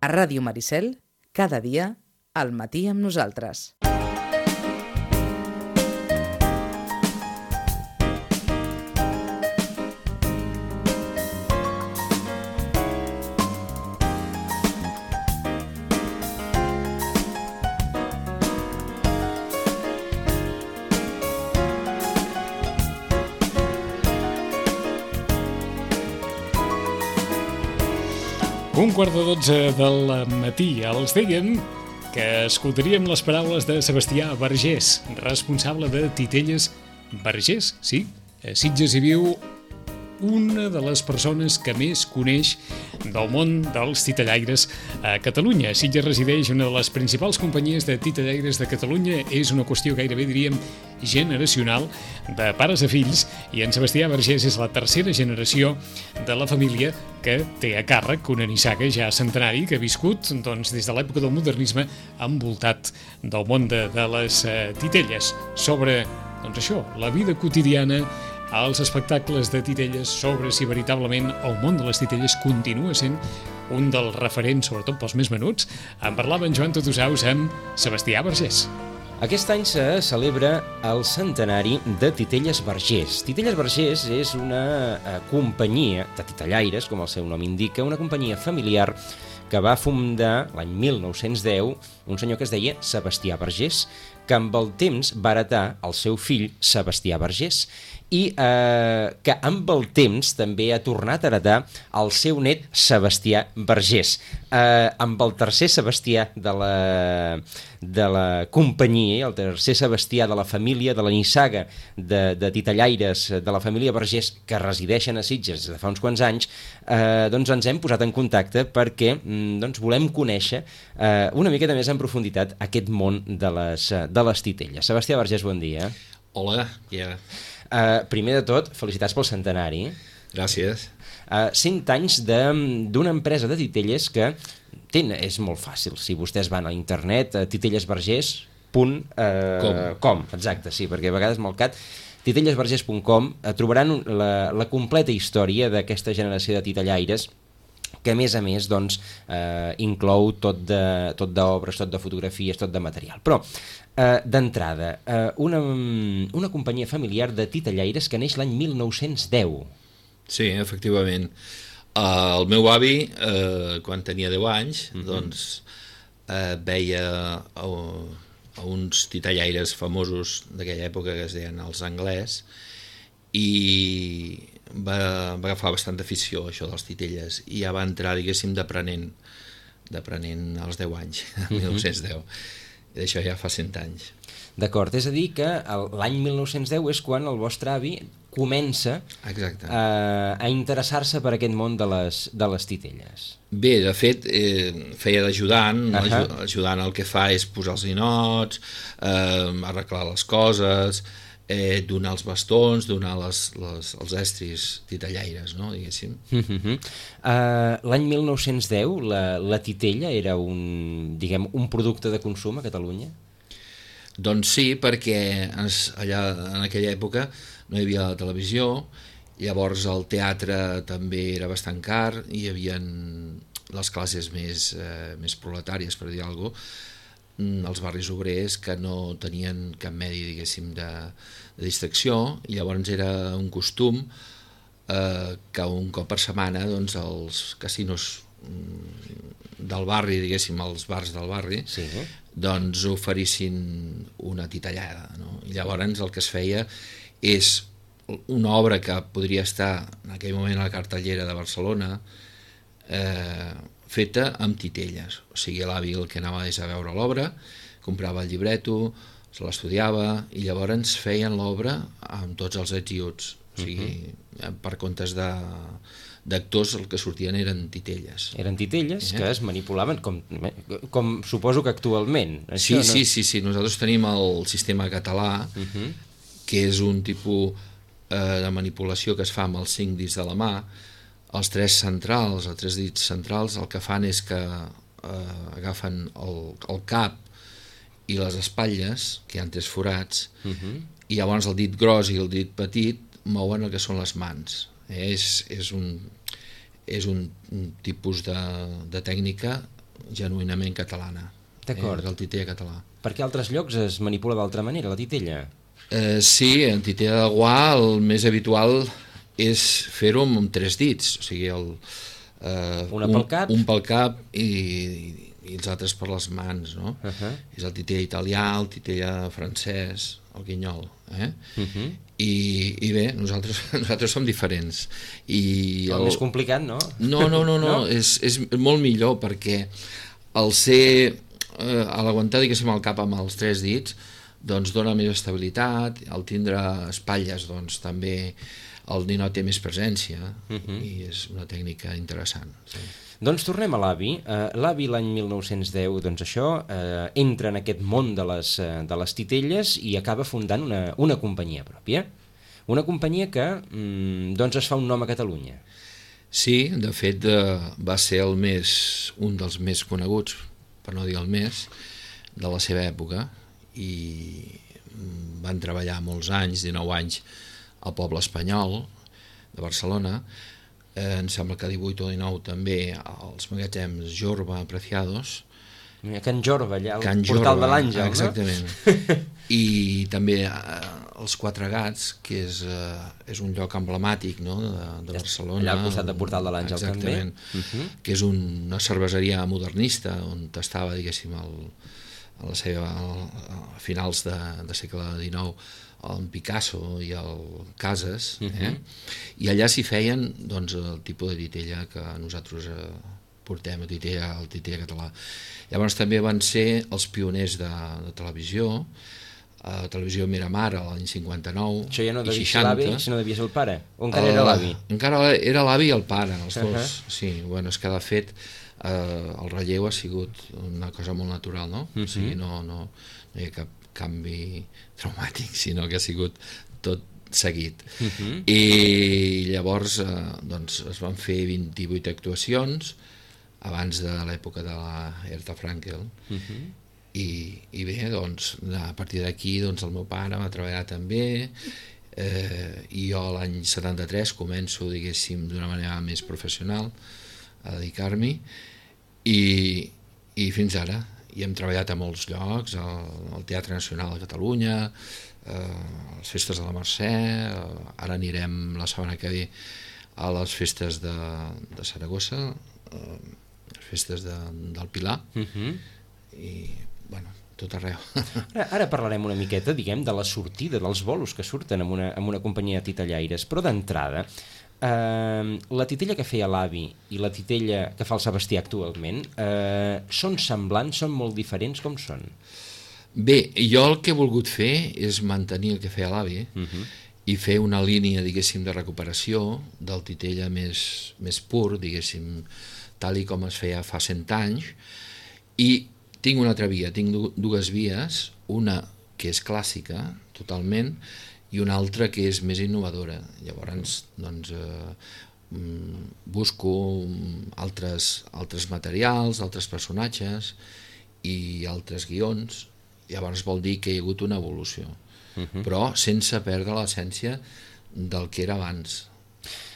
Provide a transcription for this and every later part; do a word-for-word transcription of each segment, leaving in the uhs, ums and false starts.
A Ràdio Maricel, cada dia, al matí amb nosaltres. Un quart de dotze del matí. Els dèiem que escoltaríem les paraules de Sebastià Vergés, responsable de Titelles Vergés, sí, a Sitges hi viu una de les persones que més coneix del món dels titellaires a Catalunya. A Sitges resideix una de les principals companyies de titellaires de Catalunya. És una qüestió gairebé, diríem, generacional, de pares a fills, i en Sebastià Vergés és la tercera generació de la família que té a càrrec una nissaga ja centenari que ha viscut doncs, des de l'època del modernisme envoltat del món de, de les uh, titelles. Sobre doncs això, la vida quotidiana, als espectacles de titelles, sobre si veritablement el món de les titelles continua sent un dels referents, sobretot pels més menuts. En parlava en Joan Totosaus amb Sebastià Vergés. Aquest any se celebra el centenari de Titelles Vergés. Titelles Vergés és una eh, companyia de titellaires, com el seu nom indica, una companyia familiar que va fundar l'any mil nou-cents deu un senyor que es deia Sebastià Vergés, que amb el temps va heretar el seu fill Sebastià Vergés i eh, que amb el temps també ha tornat a heretar el seu net Sebastià Vergés. Eh, amb el tercer Sebastià de la, de la companyia, el tercer Sebastià de la família, de la nissaga de, de titellaires de la família Vergés que resideixen a Sitges des de fa uns quants anys, eh, doncs ens hem posat en contacte perquè doncs, volem conèixer eh, una miqueta més en profunditat aquest món de les, de les titelles. Sebastià Vergés, bon dia. Hola, ja. Yeah. Uh, primer de tot, felicitats pel centenari. Gràcies. Uh, cent anys d'una empresa de titelles que ten, és molt fàcil. Si vostès van a internet, a titellesvergés punt com. Exacte, sí, perquè a vegades malcat titellesvergés punt com uh, trobaran la, la completa història d'aquesta generació de titellaires que a més a més doncs, eh, inclou tot de, tot d'obres, tot de fotografies, tot de material. Però, eh, d'entrada, eh, una, una companyia familiar de titellaires que neix l'any mil nou-cents deu. Sí, efectivament. Uh, el meu avi, uh, quan tenia deu anys, uh-huh. doncs uh, veia a, a uns titellaires famosos d'aquella època que es deien els Anglès, i va, va agafar bastant afició a això dels titelles i ja va entrar, diguéssim, d'aprenent d'aprenent als deu anys, el mil nou-cents deu, i d'això ja fa cent anys. D'acord, és a dir que l'any mil nou-cents deu és quan el vostre avi comença a, a interessar-se per aquest món de les, de les titelles. Bé, de fet, eh, feia d'ajudant, uh-huh. ajudant el que fa és posar els ninots, eh, arreglar les coses, Eh, donar els bastons, donar les, les, els estris titellaires, no, diguéssim. Uh-huh. uh, L'any mil nou-cents deu la, la titella era un, diguem, un producte de consum a Catalunya? Doncs sí, perquè ens, allà en aquella època no hi havia la televisió, llavors el teatre també era bastant car, hi havia les classes més, eh, més proletàries, per dir alguna cosa, els barris obrers que no tenien cap medi, diguéssim, de, de distracció, i llavors era un costum eh, que un cop per setmana doncs, els casinos del barri, diguéssim, els bars del barri, sí. doncs oferissin una titellada, no? I llavors el que es feia és una obra que podria estar en aquell moment a la cartellera de Barcelona, eh, feta amb titelles, o sigui, l'avi el que anava és a veure l'obra, comprava el llibreto, se l'estudiava i llavors feien l'obra amb tots els ets i uts, o sigui, uh-huh. per comptes de, d'actors el que sortien eren titelles. Eren titelles eh? que es manipulaven com, com suposo que actualment. Això, sí, no? sí, sí, sí, nosaltres tenim el sistema català, uh-huh. que és un tipus eh, de manipulació que es fa amb els cinc dits de la mà. Els tres centrals, els tres dits centrals, el que fan és que eh, agafen el, el cap i les espatlles, que hi ha tres forats, uh-huh. i llavors el dit gros i el dit petit mouen el que són les mans. Eh, és, és, un, és un, un tipus de, de tècnica genuïnament catalana. D'acord. Eh? És el titella català. Perquè altres llocs es manipula d'altra manera, la titella? Eh, sí, en titella de guà el més habitual és fer-ho amb tres dits, o sigui, el, eh, Una pel cap? Un, un pel cap i, i, i els altres per les mans, no? Uh -huh. És el titella italià, el titella francès, el guinyol, eh? Uh -huh. I, i bé, nosaltres, nosaltres som diferents. I el, el més complicat, no? No, no, no, no, no? És, és molt millor perquè el ser, eh, a l'aguantar, diguéssim, el cap amb els tres dits, doncs dona més estabilitat, al tindre espatlles, doncs també el ninot té més presència, uh -huh. i és una tècnica interessant. Sí. Doncs tornem a l'avi. Uh, l'avi l'any mil nou-cents deu, doncs això, uh, entra en aquest món de les, uh, de les titelles i acaba fundant una, una companyia pròpia. Una companyia que mm, doncs es fa un nom a Catalunya. Sí, de fet eh, va ser el més, un dels més coneguts, per no dir el més, de la seva època, i van treballar molts anys, dinou anys, al poble espanyol de Barcelona. Eh, em sembla que divuit o dinou també als magatzems Jorba, Preciados. Can Jorba, allà al Can portal Jorba, de l'Àngel, no? exactament. I també eh, els Quatre Gats, que és, eh, és un lloc emblemàtic, no?, de, de Barcelona. Allà al costat del portal de l'Àngel també. Exactament, uh -huh. que és una cerveseria modernista on estava, diguéssim, el, a la seva, a finals de, de segle dinou, en Picasso i el Casas, eh? Uh -huh. I allà s'hi feien, doncs, el tipus de titella que nosaltres eh, portem, a titella, el titella català. Llavors també van ser els pioners de, de televisió, a Televisió Miramar l'any cinquanta-nou. Això ja no i devia ser seixanta. l'avi, sinó devia ser el pare? O encara era l'avi? Encara era l'avi i el pare, els Uh dos. -huh. Sí, bueno, és que de fet eh, el relleu ha sigut una cosa molt natural, no? Uh -huh. O sigui, no, no, no hi ha cap canvi traumàtic, sinó que ha sigut tot seguit. Uh -huh. I llavors eh, doncs, es van fer vint-i-vuit actuacions abans de l'època de la Herta Frankel. Uh -huh. I, i bé, doncs, a partir d'aquí doncs, el meu pare va treballar també, eh, i jo l'any setanta-tres començo, diguéssim, d'una manera més professional a dedicar-m'hi, i, i fins ara. I hem treballat a molts llocs, al, al Teatre Nacional de Catalunya, eh, a les festes de la Mercè, eh, ara anirem la setmana que ve a les festes de, de Saragossa, eh, les festes de, del Pilar, uh -huh. i bueno, tot arreu. Ara, ara parlarem una miqueta, diguem, de la sortida, dels bolos que surten amb una, amb una companyia de titellaires, però d'entrada, eh, la titella que feia l'avi i la titella que fa el Sebastià actualment, eh, són semblants, són molt diferents, com són? Bé, jo el que he volgut fer és mantenir el que feia l'avi, uh -huh. i fer una línia, diguéssim, de recuperació del titella més, més pur, diguéssim, tal i com es feia fa cent anys, i tinc una altra via, tinc dues vies, una que és clàssica, totalment, i una altra que és més innovadora. Llavors, doncs, eh, busco altres, altres materials, altres personatges i altres guions. Llavors vol dir que hi ha hagut una evolució, uh -huh. però sense perdre l'essència del que era abans.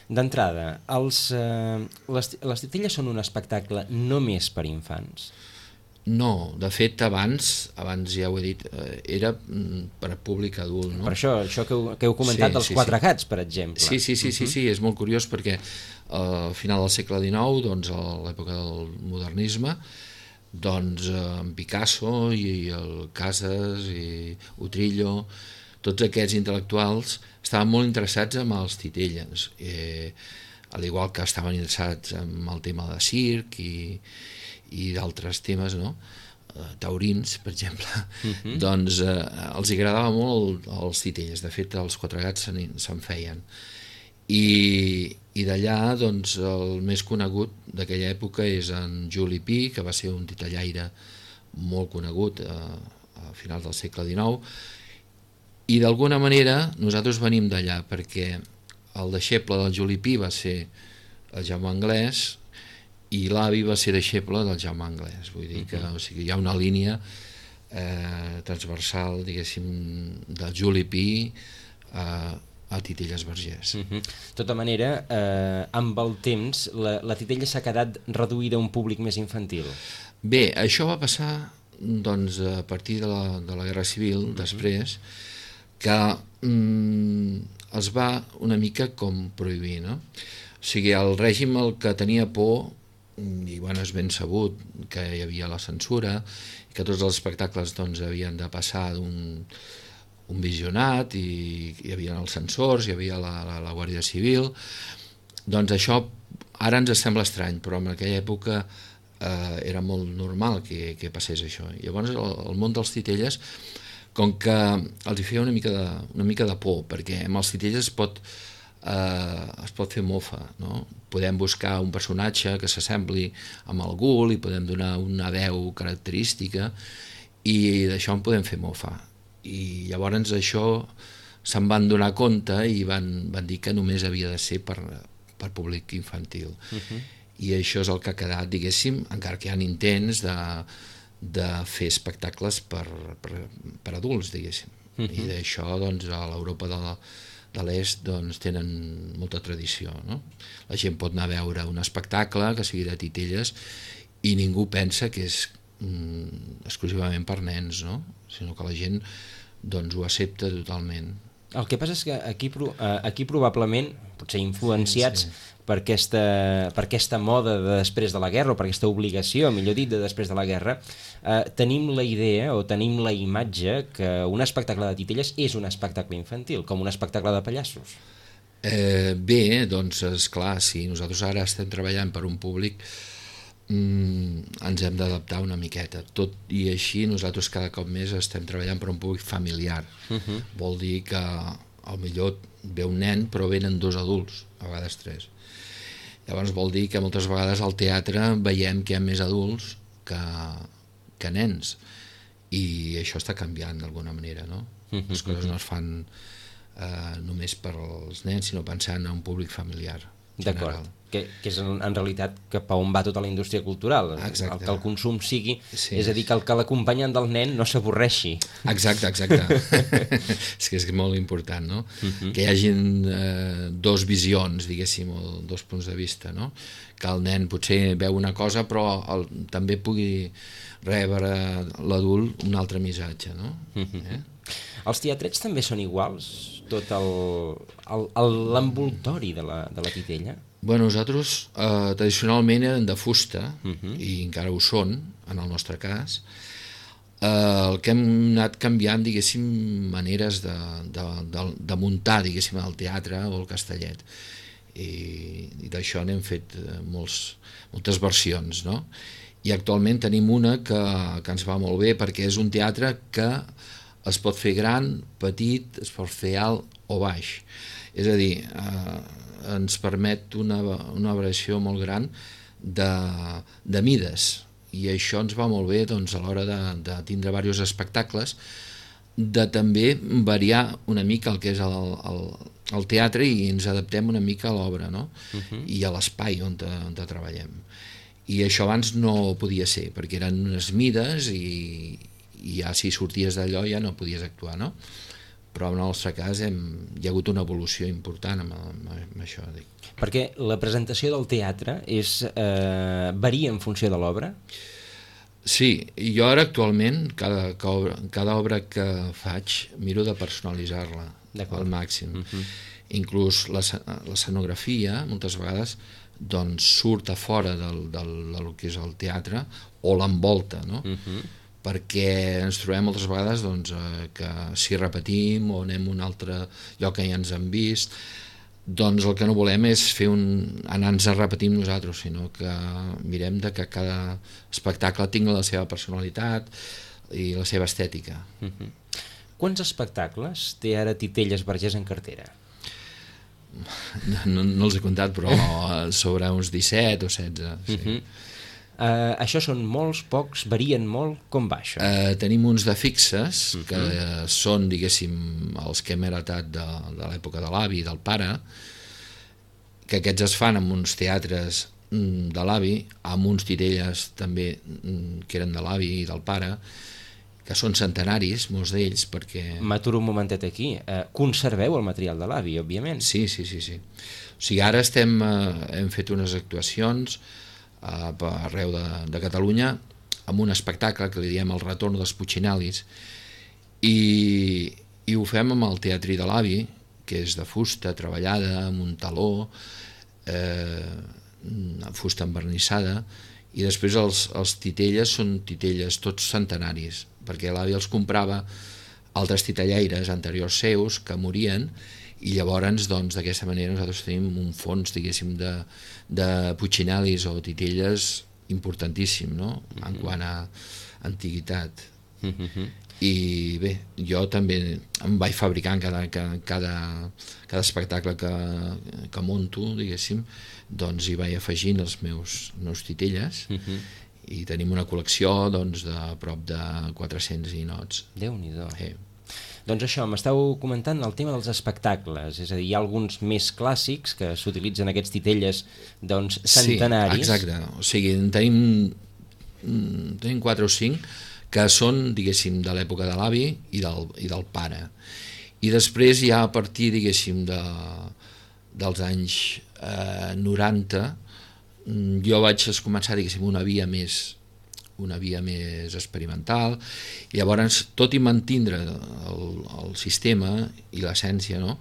D'entrada, els, eh, les, les titelles són un espectacle només per infants? No, de fet abans, abans ja ho he dit, era per a públic adult, no? Per això, això que heu, que heu comentat sí, dels sí, Quatre sí. Gats, per exemple. Sí, sí, sí, sí, sí, és molt curiós perquè uh, al final del segle dinou, doncs a l'època del modernisme, doncs en Picasso i el Casas i Utrillo, tots aquests intel·lectuals estaven molt interessats en els titelles, eh, al igual que estaven interessats en el tema de circ i i d'altres temes, no? Uh, taurins, per exemple, uh -huh. doncs eh, els agradava molt els titelles. De fet, els Quatre Gats se'n se feien. I, i d'allà, doncs, el més conegut d'aquella època és en Juli Pi, que va ser un titellaire molt conegut eh, a finals del segle dinou, i d'alguna manera nosaltres venim d'allà, perquè el deixeble del Juli Pi va ser el Jaume Anglès, i l'avi va ser deixeble del Jaume Anglès, vull dir que o sigui, hi ha una línia eh, transversal, diguéssim, del Juli Pi eh, a Titelles Vergés. Uh -huh. De tota manera, eh, amb el temps, la, la Titella s'ha quedat reduïda a un públic més infantil. Bé, això va passar doncs, a partir de la, de la Guerra Civil, uh -huh. després, que mm, es va una mica com prohibir, no? O sigui, el règim el que tenia por, i bueno, és ben sabut que hi havia la censura, i que tots els espectacles doncs, havien de passar d'un un visionat, i hi havia els censors, hi havia la, la, la Guàrdia Civil, doncs això ara ens sembla estrany, però en aquella època eh, era molt normal que, que passés això. Llavors el, el món dels titelles, com que els hi feia una mica de, una mica de por, perquè amb els titelles es pot, eh, es pot fer mofa, no? Podem buscar un personatge que s'assembli amb algú, li podem donar una veu característica, i d'això en podem fer mofa. I llavors això se'n van donar compte i van, van dir que només havia de ser per, per públic infantil. Uh-huh. I això és el que ha quedat, diguéssim, encara que hi ha intents de, de fer espectacles per, per, per adults, diguéssim. Uh-huh. I d'això, doncs, a l'Europa de, la, de l'Est doncs, tenen molta tradició, no? La gent pot anar a veure un espectacle que sigui de titelles i ningú pensa que és mm, exclusivament per nens, no? Sinó que la gent doncs, ho accepta totalment. El que passa és que aquí, aquí probablement, potser influenciats sí, sí. Per, aquesta, per aquesta moda de després de la guerra, o per aquesta obligació, millor dit, de després de la guerra, eh, tenim la idea o tenim la imatge que un espectacle de titelles és un espectacle infantil, com un espectacle de pallassos. Eh, bé, doncs, esclar, si nosaltres ara estem treballant per un públic, Mm, ens hem d'adaptar una miqueta, tot i així nosaltres cada cop més estem treballant per un públic familiar. Uh-huh. Vol dir que al millor ve un nen però venen dos adults, a vegades tres. Llavors vol dir que moltes vegades al teatre veiem que hi ha més adults que, que nens, i això està canviant d'alguna manera, no? Uh-huh. Les coses no es fan eh, només per als nens, sinó pensant en un públic familiar. D'acord, que, que és en, en realitat cap a on va tota la indústria cultural. Exacte. El que el consum sigui, sí. És a dir, que el que l'acompanyant del nen no s'avorreixi. Exacte, exacte. És que és molt important, no? Uh-huh. Que hi hagin eh, dos visions, diguéssim, o dos punts de vista, no? Que el nen potser veu una cosa però el, també pugui rebre l'adult un altre missatge, no? Uh-huh. eh? Els teatrets també són iguals? Tot l'envoltori de, la, de la titella? Bueno, nosaltres eh, tradicionalment eren de fusta, uh-huh. i encara ho són, en el nostre cas. Eh, el que hem anat canviant, diguéssim, maneres de, de, de, de muntar, diguéssim, el teatre o el castellet. I, i d'això n'hem fet molts, moltes versions, no? I actualment tenim una que, que ens va molt bé, perquè és un teatre que es pot fer gran, petit, es pot fer alt o baix. És a dir, eh, ens permet una, una variació molt gran de, de mides, i això ens va molt bé doncs, a l'hora de, de tindre diversos espectacles, de també variar una mica el que és el, el, el teatre, i ens adaptem una mica a l'obra, no? Uh-huh. I a l'espai on, on treballem. I això abans no podia ser, perquè eren unes mides i i ja si sorties d'allò ja no podies actuar, no? Però en el nostre cas hem, hi ha hagut una evolució important amb, amb, amb això. Dic. Perquè la presentació del teatre és, eh, varia en funció de l'obra? Sí, i jo ara actualment cada, cada, obra, cada obra que faig miro de personalitzar-la al màxim. Uh-huh. Inclús l'escenografia moltes vegades doncs, surt a fora del, del, del que és el teatre o l'envolta, no? Uh-huh. Perquè ens trobem moltes vegades doncs, eh, que si repetim o anem a un altre lloc que ja ens han vist, doncs el que no volem és fer un, anar-nos a repetir nosaltres, sinó que mirem de que cada espectacle tingui la seva personalitat i la seva estètica. Uh-huh. Quants espectacles té ara Titelles Vergés en cartera? No, no, no els he comptat, però sobre uns disset o setze. Sí. Uh-huh. Uh, això són molts, pocs, varien molt, com va això? Uh, tenim uns de fixes, uh-huh. que uh, són, diguéssim, els que hem heretat de, de l'època de l'avi i del pare, que aquests es fan en uns teatres mm, de l'avi, amb uns titelles també mm, que eren de l'avi i del pare, que són centenaris, molts d'ells, perquè... M'aturo un momentet aquí. Eh, conserveu el material de l'avi, òbviament. Sí, sí, sí, sí. O sigui, ara estem, eh, hem fet unes actuacions eh, per arreu de, de Catalunya amb un espectacle que li diem El retorn dels Puccinalis, i, i ho fem amb el Teatrí de l'Avi, que és de fusta treballada, amb un taló, eh, fusta envernissada, i després els, els titelles són titelles tots centenaris, perquè l'avi els comprava altres titellaires anteriors seus que morien, i llavors doncs, d'aquesta manera nosaltres tenim un fons, diguéssim, de, de Puccinalis o titelles importantíssim, no? Mm-hmm. En quant a antiguitat. Mm-hmm. I bé, jo també em vaig fabricant cada, cada, cada espectacle que, que monto, diguéssim, doncs hi vaig afegint els meus, meus titelles, uh-huh. i tenim una col·lecció doncs, de prop de quatre-cents ninots. Déu-n'hi-do. Sí. Doncs això, m'estàu comentant el tema dels espectacles, és a dir, hi ha alguns més clàssics que s'utilitzen aquests titelles doncs, centenaris. Sí, exacte. O sigui, en tenim, tenim quatre o cinc que són, diguéssim, de l'època de l'avi i del, i del pare. I després ja a partir, diguéssim, de, dels anys eh, noranta, jo vaig començar, diguéssim, una via més una via més experimental, i llavors, tot i mantindre el, el sistema i l'essència, no?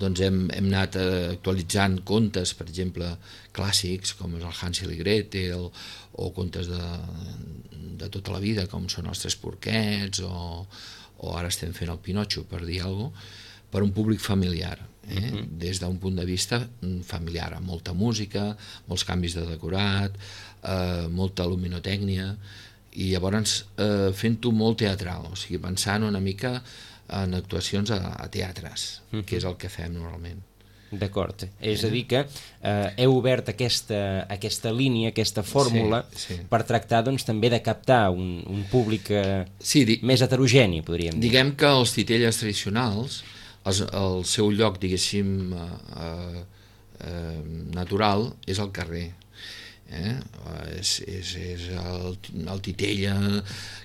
Doncs hem, hem anat actualitzant contes, per exemple, clàssics, com és el Hansel i Gretel, o contes de, de tota la vida, com són els Tres Porquets, o, o ara estem fent el Pinotxo, per dir alguna cosa, per un públic familiar, eh? Uh-huh. Des d'un punt de vista familiar, amb molta música, molts canvis de decorat, eh, molta luminotècnia, i llavors eh, fent-ho molt teatral, o sigui, pensant una mica en actuacions a, a teatres, uh-huh. que és el que fem normalment. D'acord, és a dir que eh, heu obert aquesta, aquesta línia, aquesta fórmula, sí, sí. per tractar doncs, també de captar un, un públic eh, sí, di- més heterogeni, podríem dir. Diguem que els titelles tradicionals, els, el seu lloc, diguéssim, eh, eh, natural és el carrer. Eh? És, és, és el, el titella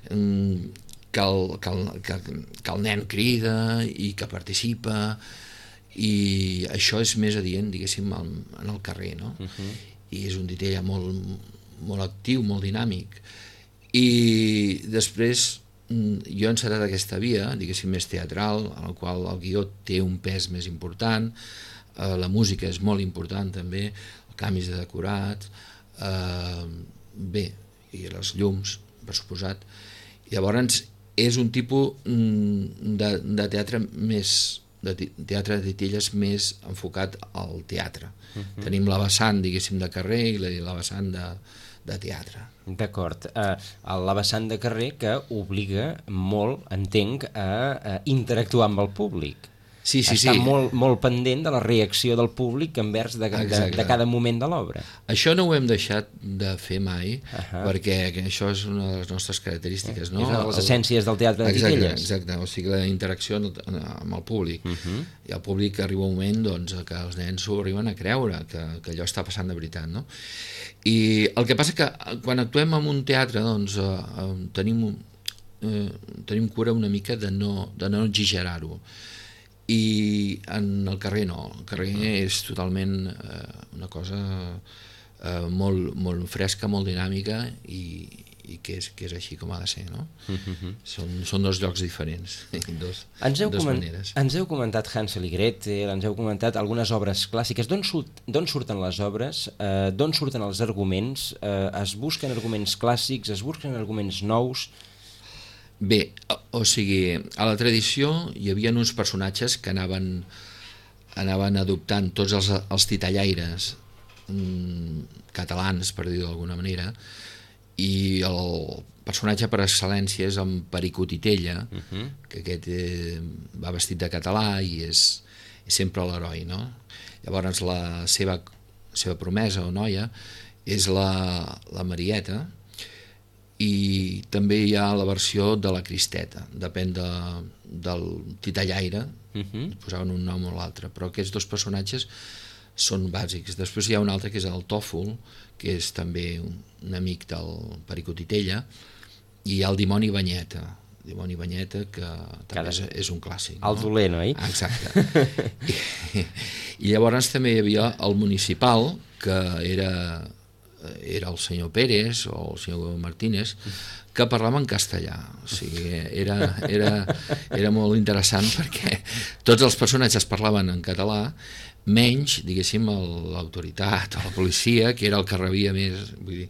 que el, que, el, que, que el nen crida i que participa, i això és més adient, diguéssim, en el carrer, no? Uh-huh. I és un titella molt, molt actiu, molt dinàmic, i després jo he encetat aquesta via, diguéssim, més teatral, en la qual el guió té un pes més important, eh, la música és molt important també, els canvis de decorat, eh, bé, i les llums, per suposat. Llavors és un tipus de, de teatre més de teatre de titelles més enfocat al teatre. Uh-huh. Tenim la vessant, diguéssim, de carrer i la, la vessant de, de teatre. D'acord. Uh, la vessant de carrer que obliga molt, entenc, a, a interactuar amb el públic. Sí, sí, Està sí. molt, molt pendent de la reacció del públic envers de, de, de cada moment de l'obra. Això no ho hem deixat de fer mai, uh-huh. perquè això és una de les nostres característiques. No? És una de les essències del teatre de exacte, titelles. Exacte, o sigui, la interacció amb el públic. Uh-huh. I el públic arriba un moment doncs, que els nens s'ho arriben a creure, que, que allò està passant de veritat. No? I el que passa que quan actuem en un teatre doncs, eh, tenim, eh, tenim cura una mica de no, de no exagerar-ho. I en el carrer no, el carrer és totalment eh, una cosa eh, molt, molt fresca, molt dinàmica i, i que, és, que és així com ha de ser, no? Uh-huh. Són, són dos llocs diferents, dos, ens heu dos coment, maneres. Ens heu comentat Hansel i Gretel, ens heu comentat algunes obres clàssiques. D'on surt, d'on surten les obres? Eh, d'on surten els arguments? Eh, es busquen arguments clàssics? Es busquen arguments nous? Bé, o sigui, a la tradició hi havia uns personatges que anaven, anaven adoptant tots els, els titellaires mm, catalans, per dir-ho d'alguna manera, i el personatge per excel·lència és en Perico Titella, uh-huh. que aquest eh, va vestit de català i és, és sempre l'heroi, no? Llavors la seva, seva promesa o noia és la, la Marieta, i també hi ha la versió de la Cristeta, depèn de, del titellaire, uh-huh. posaven un nom o l'altre, però aquests dos personatges són bàsics. Després hi ha un altre que és el Tòfol, que és també un, un amic del Perico Titella, i hi ha el dimoni Banyeta. Dimoni Banyeta, que també Cada... és, és un clàssic. El no? dolent, oi? Exacte. I, I llavors també hi havia el municipal, que era, era el senyor Pérez o el senyor Martínez, que parlava en castellà. O sigui, era, era, era molt interessant perquè tots els personatges parlaven en català, menys, diguéssim, l'autoritat o la policia, que era el que rebia més. Vull dir...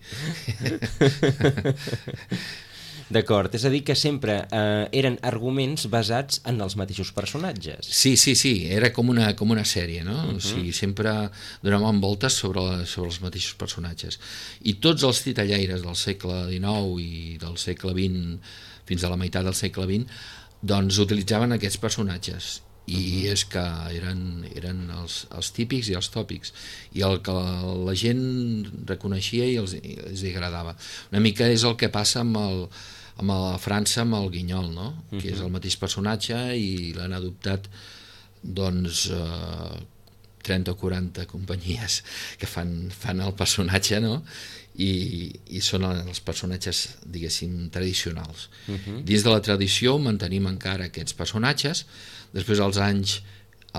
D'acord, és a dir que sempre eh, eren arguments basats en els mateixos personatges. Sí, sí, sí, era com una, com una sèrie, no? Uh-huh. O sigui, sempre donàvem voltes sobre, la, sobre els mateixos personatges. I tots els titellaires del segle dinou i del segle vint, fins a la meitat del segle vint, doncs utilitzaven aquests personatges. I uh-huh. és que eren, eren els, els típics i els tòpics, i el que la gent reconeixia i els, i els agradava. Una mica és el que passa amb, el, amb la França, amb el Guinyol, no? Uh-huh. Que és el mateix personatge i l'han adoptat doncs eh, trenta o quaranta companyies que fan, fan el personatge, no? I, i són els personatges, diguéssim, tradicionals. Uh-huh. Dins de la tradició mantenim encara aquests personatges. Després, als anys,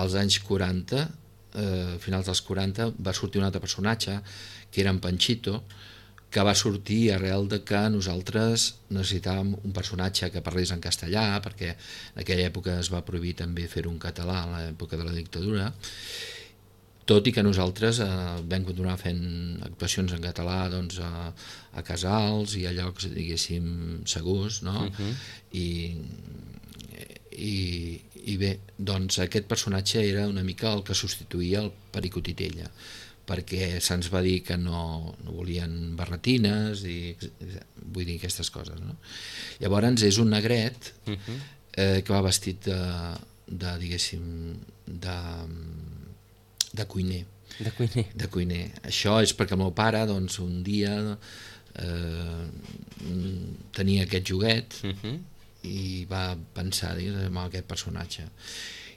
als anys quaranta, eh, finals dels quaranta, va sortir un altre personatge, que era en Panchito, que va sortir arrel de que nosaltres necessitàvem un personatge que parlés en castellà, perquè en aquella època es va prohibir també fer-ho en català, a l'època de la dictadura, tot i que nosaltres eh, vam continuar fent actuacions en català doncs, a, a casals i a llocs, diguéssim, segurs, no? Uh-huh. I, i, i bé, doncs aquest personatge era una mica el que substituïa el Perico Titella, perquè se'ns va dir que no, no volien barretines i vull dir aquestes coses, no? Llavors és un negret uh-huh. eh, que va vestit de, de diguéssim, de... de cuiner. De cuiner. De cuiner. Això és perquè el meu pare, doncs, un dia eh, tenia aquest joguet uh-huh. i va pensar en aquest personatge.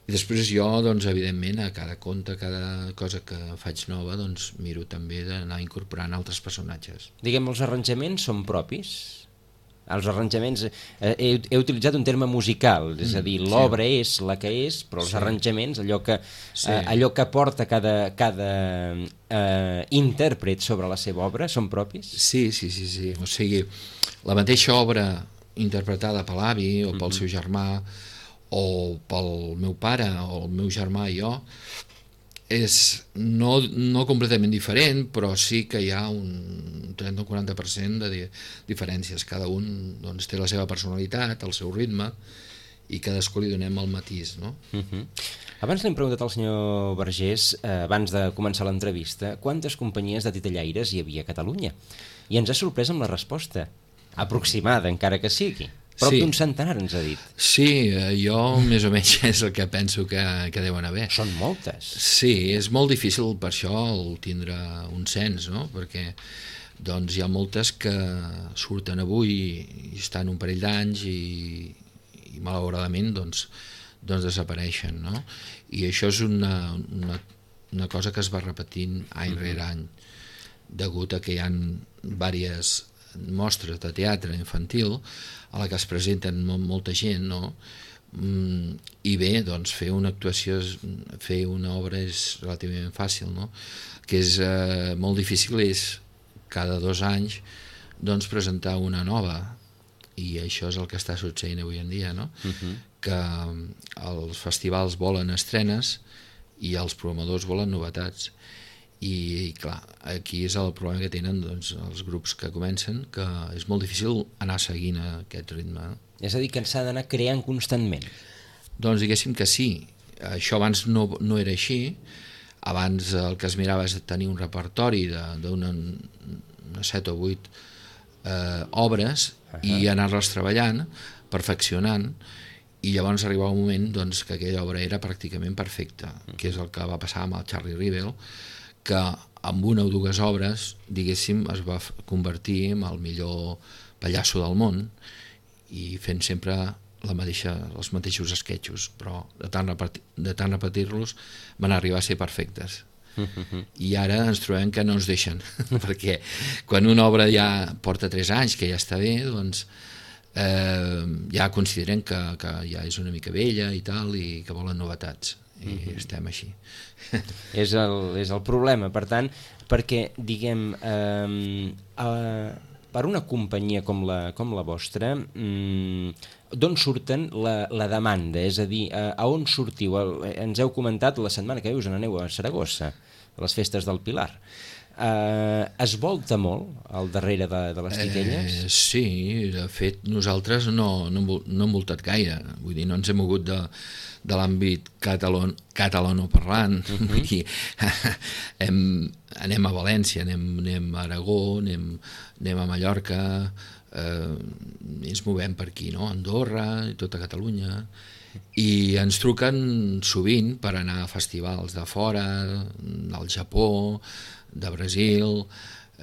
I després jo, doncs, evidentment, a cada conte, a cada cosa que faig nova, doncs, miro també d'anar incorporant altres personatges. Diguem, els arranjaments són propis? Els arranjaments, eh, he, he utilitzat un terme musical, és a dir, l'obra sí. és la que és, però els sí. arranjaments, allò que, sí. eh, allò que porta cada, cada eh, intèrpret sobre la seva obra, són propis? Sí, sí, sí, sí. O sigui, la mateixa obra interpretada per l'avi o pel uh-huh. seu germà o pel meu pare o el meu germà i jo, és no, no completament diferent, però sí que hi ha un trenta o quaranta per cent de di- diferències. Cada un doncs, té la seva personalitat, el seu ritme, i cadascú li donem el matís, no? Uh-huh. Abans l'hem preguntat al senyor Vergés, eh, abans de començar l'entrevista, quantes companyies de titellaires hi havia a Catalunya? I ens ha sorprès amb la resposta, aproximada, encara que sigui. Prop sí. d'un centenar, ens ha dit. Sí, jo més o menys és el que penso que, que deuen haver. Són moltes. Sí, és molt difícil per això el tindre un cens, no? Perquè doncs, hi ha moltes que surten avui i estan un parell d'anys i, i malauradament doncs, doncs desapareixen, no? I això és una, una, una cosa que es va repetint any mm-hmm. rere any, degut a que hi ha diverses mostres de teatre infantil a la que es presenten molt, molta gent, no? Mm, i bé, doncs fer una actuació, fer una obra és relativament fàcil, no? Que és eh, molt difícil és cada dos anys doncs presentar una nova, i això és el que està succeint avui en dia, no? Uh-huh. Que els festivals volen estrenes i els programadors volen novetats. I, i clar, aquí és el problema que tenen doncs, els grups que comencen, que és molt difícil anar seguint aquest ritme. És a dir, que s'ha d'anar creant constantment. Doncs diguéssim que sí. Això abans no, no era així. Abans el que es mirava és tenir un repertori d'una set o vuit eh, obres uh-huh. i anar-les treballant, perfeccionant, i llavors arribava un moment doncs, que aquella obra era pràcticament perfecta, uh-huh. que és el que va passar amb el Charlie Rivel, que amb una o dues obres, diguéssim, es va convertir en el millor pallasso del món i fent sempre la mateixa, els mateixos esquetxos, però de tant, repetir, de tant repetir-los van arribar a ser perfectes. Uh-huh. I ara ens trobem que no ens deixen, perquè quan una obra ja porta tres anys, que ja està bé, doncs eh, ja consideren que, que ja és una mica vella i tal, i que volen novetats, i mm-hmm. estem així. És el, és el problema, per tant, perquè, diguem, eh, eh, per una companyia com la, com la vostra, mm, d'on surten la, la demanda? És a dir, a, a on sortiu? El, ens heu comentat la setmana que ve us n'aneu a Saragossa, a les festes del Pilar. Eh, es volta molt al darrere de, de les titelles? Eh, sí, de fet nosaltres no, no, no hem voltat gaire, vull dir, no ens hem mogut de, de l'àmbit catalon, catalanoparlant, uh-huh. Vull dir, hem, anem a València, anem, anem a Aragó, anem, anem a Mallorca, eh, ens movem per aquí, no? Andorra, tota Catalunya, i ens truquen sovint per anar a festivals de fora, del Japó, de Brasil,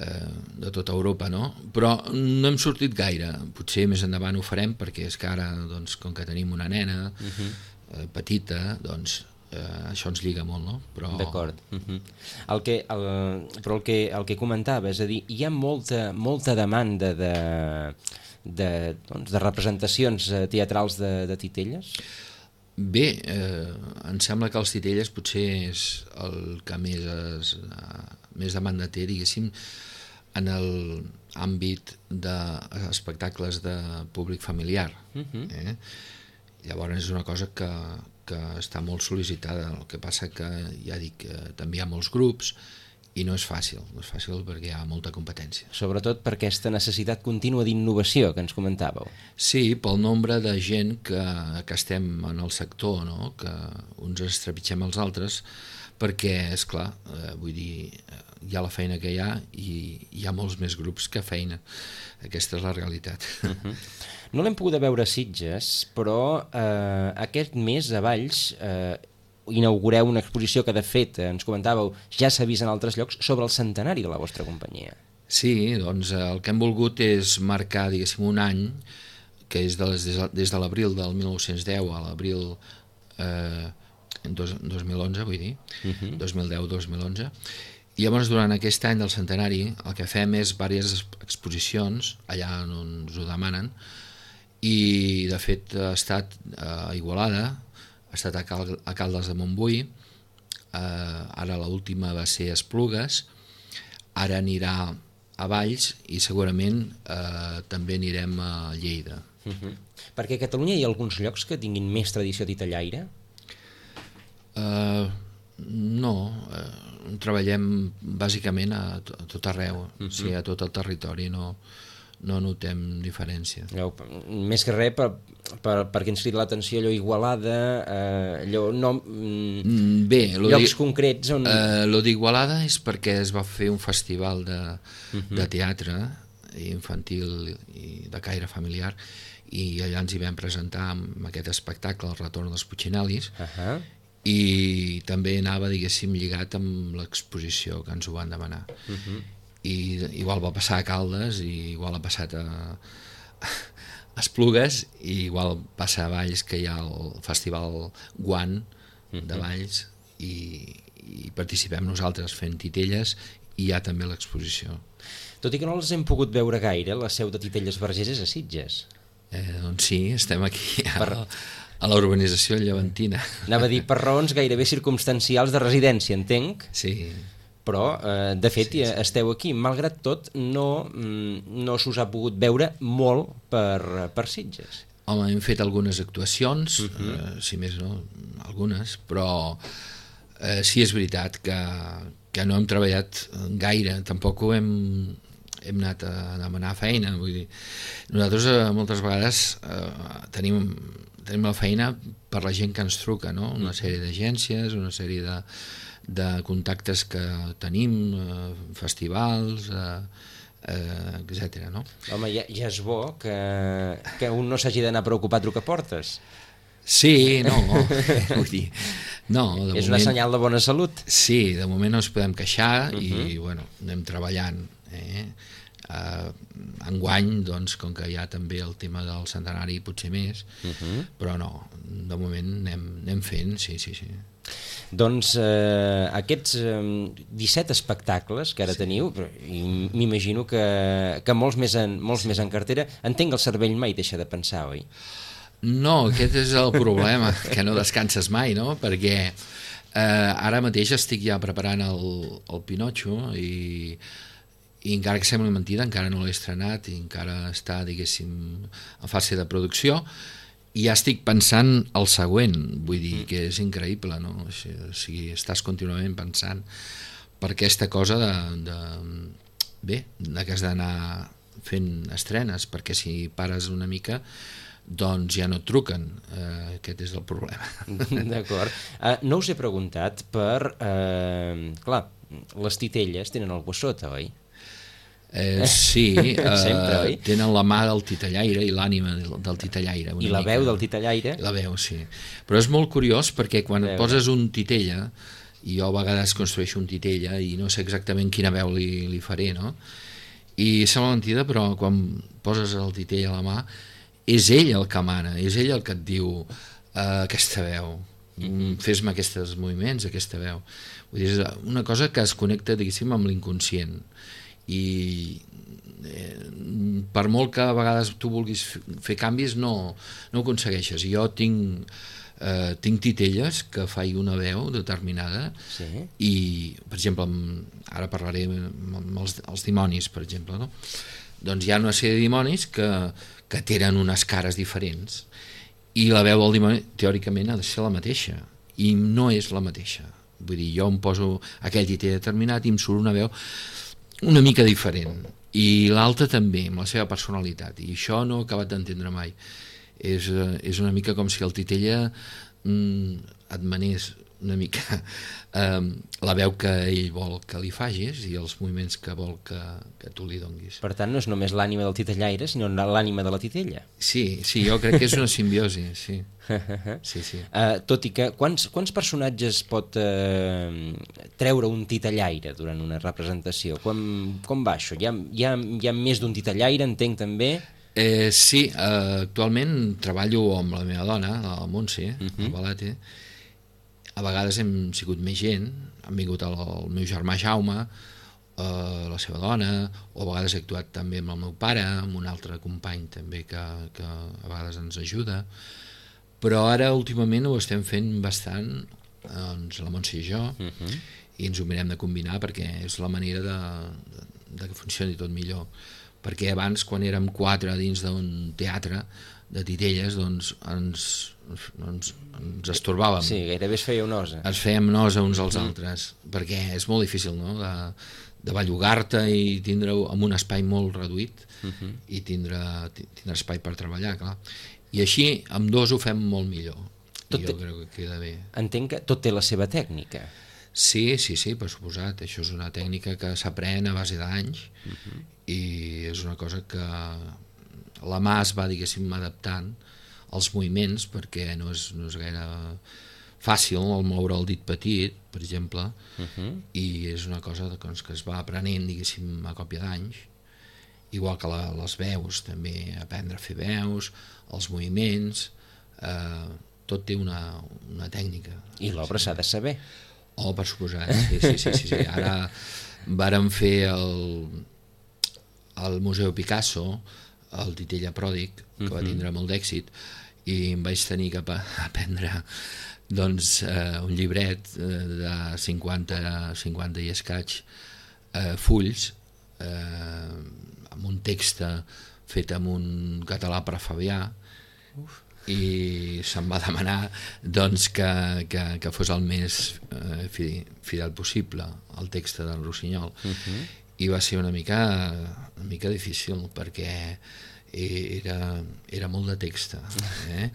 eh, de tota Europa, no? Però no hem sortit gaire, potser més endavant ho farem, perquè és que ara, doncs, com que tenim una nena uh-huh. eh, petita, doncs eh, això ens lliga molt, no? Però... D'acord. Uh-huh. el que, el, però el que, el que comentava, és a dir, hi ha molta, molta demanda de, de, doncs, de representacions teatrals de, de titelles? Bé, eh, em sembla que els titelles potser és el que més, es, més demanda té, diguéssim, en l'àmbit d'espectacles de públic familiar. Uh-huh. eh? Llavors és una cosa que, que està molt sol·licitada, el que passa que, ja dic, eh, també hi ha molts grups, i no és fàcil, no és fàcil perquè hi ha molta competència. Sobretot per aquesta necessitat contínua d'innovació que ens comentàveu. Sí, pel nombre de gent que, que estem en el sector, no? Que uns ens trepitgem els altres, perquè, esclar, eh, vull dir, hi ha la feina que hi ha i hi ha molts més grups que feina. Aquesta és la realitat. Uh-huh. No l'hem pogut veure a Sitges, però eh, aquest mes a Valls eh, inaugureu una exposició que, de fet, ens comentàveu, ja s'ha vist en altres llocs, sobre el centenari de la vostra companyia. Sí, doncs el que hem volgut és marcar, diguéssim, un any, que és de les, des de l'abril del mil nou-cents deu a l'abril eh, dos, dos mil onze, vull dir, uh-huh. dos mil deu dos mil onze, i llavors durant aquest any del centenari el que fem és diverses exposicions allà on ens ho demanen, i de fet ha estat a Igualada, ha estat a, Cal a Caldes de Montbui, eh, ara l'última va ser a Esplugues, ara anirà a Valls i segurament eh, també anirem a Lleida. Uh-huh. Perquè a Catalunya hi ha alguns llocs que tinguin més tradició titellaire? Uh, no, uh, treballem bàsicament a, a tot arreu, uh-huh. O sigui, a tot el territori, no... no notem diferència. Allò, més que res per, per, perquè ens crida l'atenció allò Igualada, eh, allò no, mm, bé, llocs concrets on... Eh, lo d'Igualada és perquè es va fer un festival de, uh-huh. de teatre infantil i de caire familiar, i allà ens hi vam presentar amb aquest espectacle, El retorn dels Puccinalis, uh-huh. i també anava, diguéssim, lligat amb l'exposició que ens ho van demanar. Uh-huh. I igual va passar a Caldes, i igual ha passat a, a Esplugues, i igual passa a Valls, que hi ha el festival Guant de Valls, i, i participem nosaltres fent titelles, i hi ha també l'exposició. Tot i que no els hem pogut veure gaire, la seu de Titelles Vergés és a Sitges. Eh, doncs sí, estem aquí a, per... a la urbanització llevantina. Anava a dir, per raons gairebé circumstancials de residència, entenc. Sí. Però, eh, de fet, sí, sí. esteu aquí. Malgrat tot, no, no s'us ha pogut veure molt per, per Sitges. Home, hem fet algunes actuacions, uh-huh. eh, si més no, algunes, però eh, sí és veritat que, que no hem treballat gaire, tampoc ho hem, hem anat a demanar feina, vull dir, nosaltres eh, moltes vegades eh, tenim, tenim la feina per la gent que ens truca, no? Una sèrie d'agències, una sèrie de de contactes que tenim, eh, festivals, eh, eh, etcètera. No? Home, ja, ja és bo que, que un no s'hagi d'anar a preocupar a trucar portes. Sí, no, vull dir, no, de és moment, una senyal de bona salut. Sí, de moment no ens podem queixar, uh-huh. i bueno, anem treballant. Eh? Uh, enguany, doncs, com que hi ha també el tema del centenari, potser més, uh -huh. però no, de moment anem, anem fent, sí, sí, sí. Doncs eh, aquests eh, disset espectacles que ara sí. teniu, i m'imagino que, que molts, més en, molts més en cartera, entenc que el cervell mai deixa de pensar, oi? No, aquest és el problema, que no descanses mai, no? Perquè eh, ara mateix estic ja preparant el, el Pinotxo i i encara que sembli mentida, encara no l'he estrenat i encara està, diguéssim, en fase de producció, i ja estic pensant el següent, vull dir que és increïble, no? O sigui, estàs contínuament pensant per aquesta cosa de, de bé, de que has d'anar fent estrenes, perquè si pares una mica doncs ja no et truquen, uh, aquest és el problema. D'acord. Uh, no us he preguntat per... Uh, clar, les titelles tenen algú a sota, oi? Eh, sí, eh, Sempre, tenen la mà del titellaire i l'ànima del, del titellaire. I la mica. veu del titellaire? La veu, sí. Però és molt curiós perquè quan et poses un titella, i jo a vegades construeixo un titella i no sé exactament quina veu li, li faré, no? I sembla mentida, però quan poses el titella a la mà, és ell el que mana, és ell el que et diu eh, aquesta veu, mm-hmm. fes-me aquests moviments, aquesta veu. Vull dir, és una cosa que es connecta, diguéssim, amb l'inconscient. I eh, per molt que a vegades tu vulguis fer canvis no, no ho aconsegueixes. Jo tinc, eh, tinc titelles que faig una veu determinada sí. I, per exemple, ara parlaré amb els, els dimonis, per exemple, no? Doncs hi ha una sèrie de dimonis que, que tenen unes cares diferents i la veu del dimoni teòricament ha de ser la mateixa i no és la mateixa. Vull dir, jo em poso aquell titell determinat i em surt una veu una mica diferent, i l'altra també, amb la seva personalitat, i això no he acabat d'entendre mai. És, és una mica com si el titella mm, et manés una mica eh, la veu que ell vol que li facis i els moviments que vol que, que tu li donguis. Per tant, no és només l'ànima del titellaire, sinó l'ànima de la titella. Sí, sí, jo crec que és una simbiosi, sí. sí, sí. Uh, tot i que, quants, quants personatges pot uh, treure un titellaire durant una representació? Com, com va això? Hi ha, hi ha, hi ha més d'un titellaire, entenc també? Eh, sí, uh, actualment treballo amb la meva dona, la Montse, uh -huh. a Balate. A vegades hem sigut més gent, han vingut el, el meu germà Jaume, eh, la seva dona, o a vegades he actuat també amb el meu pare, amb un altre company també que, que a vegades ens ajuda, però ara últimament ho estem fent bastant, doncs, la Montse i jo, uh -huh. i ens ho mirem de combinar perquè és la manera de, de, de que funcioni tot millor, perquè abans quan érem quatre dins d'un teatre de titelles, doncs ens, ens, ens estorbàvem. Sí, gairebé es feia nosa. Ens fèiem nosa uns als mm. altres, perquè és molt difícil, no?, de, de bellugar-te i tindre en un espai molt reduït mm-hmm. i tindre, tindre espai per treballar, clar. I així, amb dos ho fem molt millor. Tot I jo té... crec que queda bé. Entenc que tot té la seva tècnica. Sí, sí, sí, per suposat. Això és una tècnica que s'aprèn a base d'anys mm-hmm. i és una cosa que la mà es va, diguéssim, adaptant als moviments, perquè no és, no és gaire fàcil el moure el dit petit, per exemple, uh-huh. i és una cosa doncs, que es va aprenent, diguéssim, a còpia d'anys, igual que la, les veus, també aprendre a fer veus, els moviments, eh, tot té una, una tècnica. I l'obra s'ha de saber. Oh, per suposat, sí, sí, sí, sí, sí. Ara vàrem fer el, el Museu Picasso, el Titella Pròdig, que uh-huh. va tindre molt d'èxit, i em vaig tenir que aprendre doncs, eh, un llibret eh, de cinquanta, cinquanta i escaig eh, fulls eh, amb un text fet amb un català prefabià. Uf. I se'm va demanar doncs, que, que, que fos el més eh, fidel possible el text del Rossinyol. Uh-huh. I va ser una mica, una mica difícil perquè era, era molt de text, eh?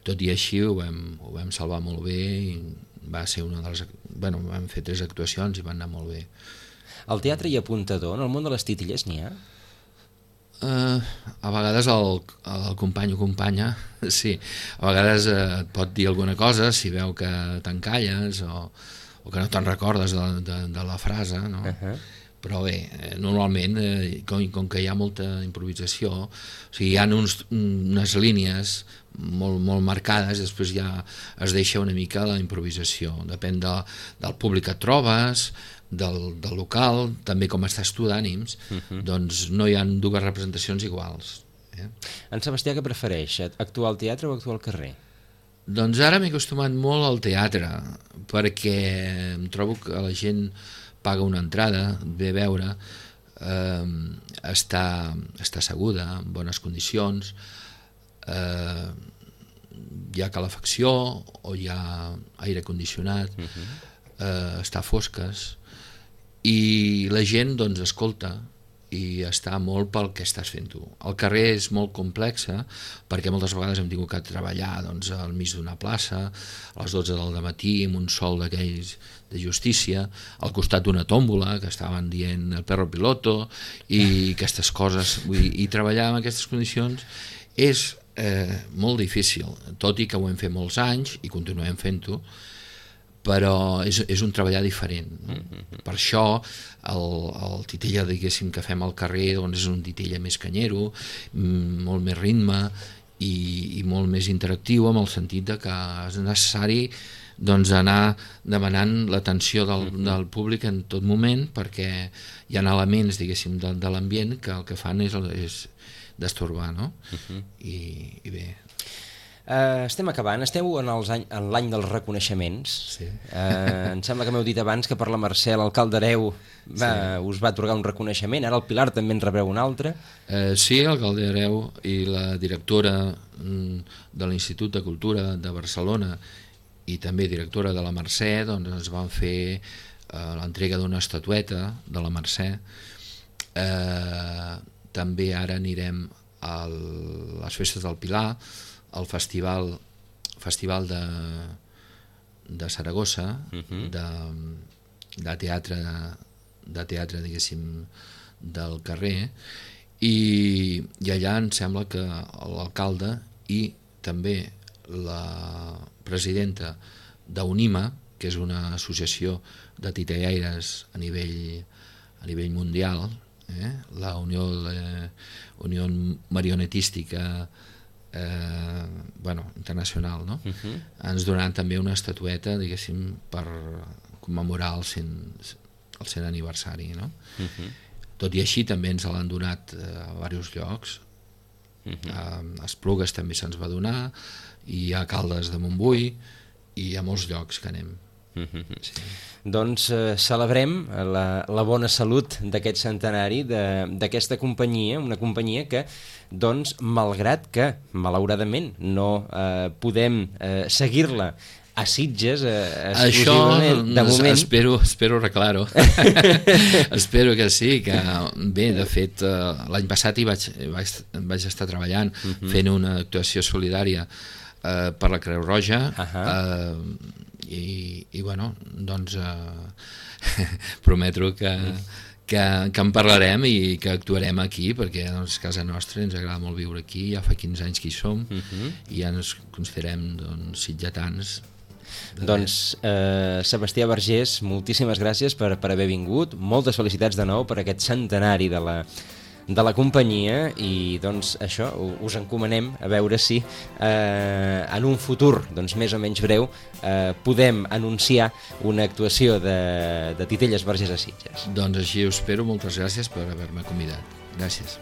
Tot i així ho vam, ho vam salvar molt bé i va ser una de les... Bueno, vam fer tres actuacions i van anar molt bé. Al teatre hi ha apuntador? En el món de les titelles n'hi ha? Uh, a vegades el, el company o companya, sí, a vegades uh, et pot dir alguna cosa si veu que t'encalles o, o que no te'n recordes de, de, de la frase, no? Uh-huh. però bé, eh, normalment, eh, com, com que hi ha molta improvisació, o sigui, hi ha uns, unes línies molt, molt marcades, després ja es deixa una mica la improvisació, depèn de, del públic que et trobes, del, del local, també com estàs tu d'ànims, uh-huh. doncs no hi ha dues representacions iguals. Eh? En Sebastià què prefereix, actuar al teatre o actuar al carrer? Doncs ara m'he acostumat molt al teatre, perquè em trobo que la gent paga una entrada, ve a veure, eh, està, està asseguda, en bones condicions, eh, hi ha calefacció o hi ha aire condicionat, uh-huh. eh, està a fosques, i la gent doncs escolta i està molt pel que estàs fent tu. El carrer és molt complexa perquè moltes vegades hem tingut que treballar doncs, al mig d'una plaça a les dotze del matí amb un sol d'aquells de justícia, al costat d'una tòmbola que estaven dient el perro piloto i aquestes coses. Vull dir, i treballar en aquestes condicions és eh, molt difícil, tot i que ho hem fet molts anys i continuem fent-ho, però és, és un treballar diferent. No? Mm-hmm. Per això el, el titella, diguéssim, que fem al carrer doncs és un titella més canyero, molt més ritme i, i molt més interactiu, amb el sentit de que és necessari doncs, anar demanant l'atenció del, mm-hmm. del públic en tot moment, perquè hi ha elements, diguéssim, de, de l'ambient que el que fan és, és destorbar, no? Mm-hmm. I, i bé... Uh, estem acabant, esteu en, els any, en l'any dels reconeixements. Sí. Uh, em sembla que m'heu dit abans que per la Mercè l'alcalde Hereu va, sí. us va atorgar un reconeixement, ara el Pilar també en rebreu un altre. Uh, sí, l'alcalde Hereu i la directora mm, de l'Institut de Cultura de Barcelona i també directora de la Mercè doncs ens van fer uh, l'entrega d'una estatueta de la Mercè. Uh, també ara anirem a les festes del Pilar, el festival festival de, de Saragossa, uh-huh. de, de teatre de teatre, diguéssim, del carrer, i, i allà em sembla que l'alcalde i també la presidenta d'UNIMA, que és una associació de titellaires a nivell, a nivell mundial, eh? la Unió, la Unió Marionetística Eh, bueno, internacional, no? Uh-huh. Ens donaran també una estatueta, diguéssim, per commemorar el cent, el cent aniversari, no? Uh-huh. Tot i així també ens l'han donat eh, a diversos llocs. Uh-huh. A Esplugues també se'ns va donar, i a Caldes de Montbui, i a molts llocs que anem. Uh-huh. Sí. Doncs eh, celebrem la, la bona salut d'aquest centenari, d'aquesta companyia, una companyia que, doncs, malgrat que, malauradament, no eh, podem eh, seguir-la a Sitges eh, exclusivament, això, de moment... espero, espero arreglar-ho. Espero que sí, que bé, de fet, eh, l'any passat hi vaig, vaig, vaig estar treballant, uh-huh. fent una actuació solidària eh, per la Creu Roja, uh-huh. eh, I, i bueno, doncs eh, prometo que, que, que en parlarem i que actuarem aquí, perquè doncs, casa nostra, ens agrada molt viure aquí, ja fa quinze anys que hi som, uh-huh. i ja ens considerem doncs, sitgetans. Doncs eh, Sebastià Vergés, moltíssimes gràcies per, per haver vingut, moltes felicitats de nou per aquest centenari de la, de la companyia, i doncs això, us encomanem a veure si eh, en un futur doncs, més o menys breu eh, podem anunciar una actuació de, de Titelles Vergés a Sitges. Doncs així ho espero, moltes gràcies per haver-me convidat. Gràcies.